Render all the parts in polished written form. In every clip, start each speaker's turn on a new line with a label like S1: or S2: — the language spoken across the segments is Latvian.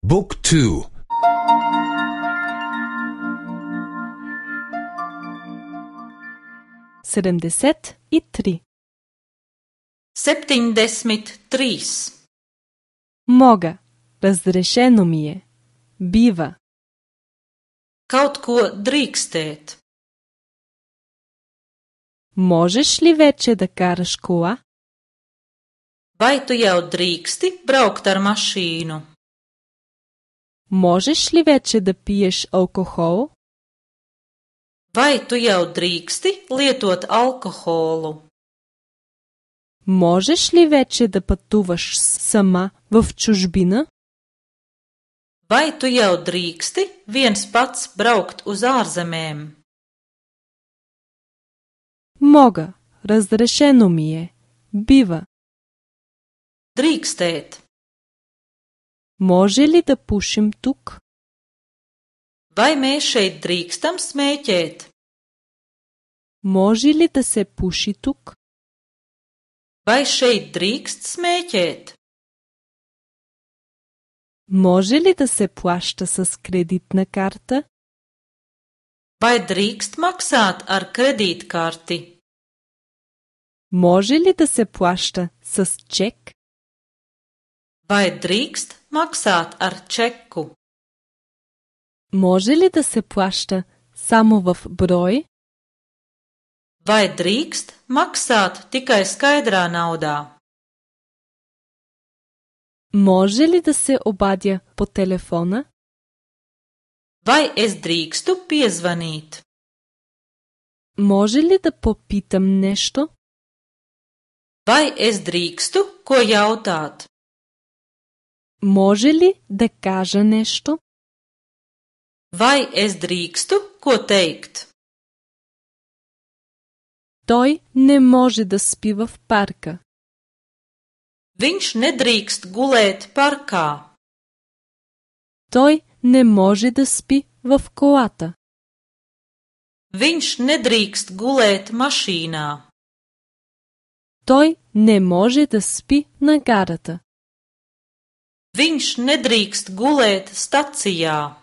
S1: บุ๊กทู
S2: 73
S3: 73.
S2: Мога. Разрешено ми е. Бива.
S3: Kaut ko drīkstēt.
S2: Можеш ли вече да караш кола?
S3: Vai tu jau drīksti braukt ar mašīnu?
S2: Можеш ли вече да пиеш алкохол?
S3: Vai tu jau drīksti lietot alkoholu?
S2: Можеш ли вече да пътуваш сама в чужбина?
S3: Vai tu jau drīksti viens pats braukt uz ārzemēm?
S2: Мога. Разрешено ми е. Бива.
S3: Drīkstēt.
S2: Може ли да пушим тук?
S3: Vai mēs šeit drīkstam smēķēt?
S2: Може ли да се пуши тук?
S3: Vai šeit drīkst smēķēt?
S2: Може ли да се плаща с кредитна карта?
S3: Vai drīkst maksāt ar kredītkarti?
S2: Може ли да се плаща с чек?
S3: Vai drīkst maksāt ar čeku?
S2: Може ли да се плаща само в брой?
S3: Vai drīkst maksāt tikai skaidrā naudā?
S2: Може ли да се обадя по телефона?
S3: Vai es drīkstu piezvanīt?
S2: Може ли да попитам нещо?
S3: Vai es drīkstu ko jautāt?
S2: Може ли да кажа нещо?
S3: Vai es drīkstu ko teikt?
S2: Той не може да спи в парка.
S3: Viņš nedrīkst gulēt parkā.
S2: Той не може да спи в колата.
S3: Viņš nedrīkst gulēt mašīnā.
S2: Той не може да спи на гарата.
S3: Viņš nedrīkst gulēt stacijā.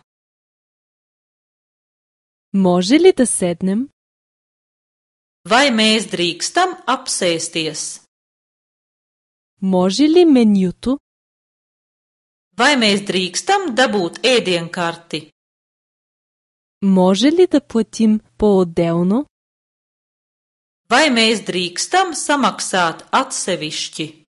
S2: Може ли да седнем?
S3: Vai mēs drīkstam apsēsties?
S2: Може ли менюто?
S3: Vai mēs drīkstam dabūt ēdienkarti?
S2: Може ли да платим по-отделно?
S3: Vai mēs drīkstam samaksāt atsevišķi?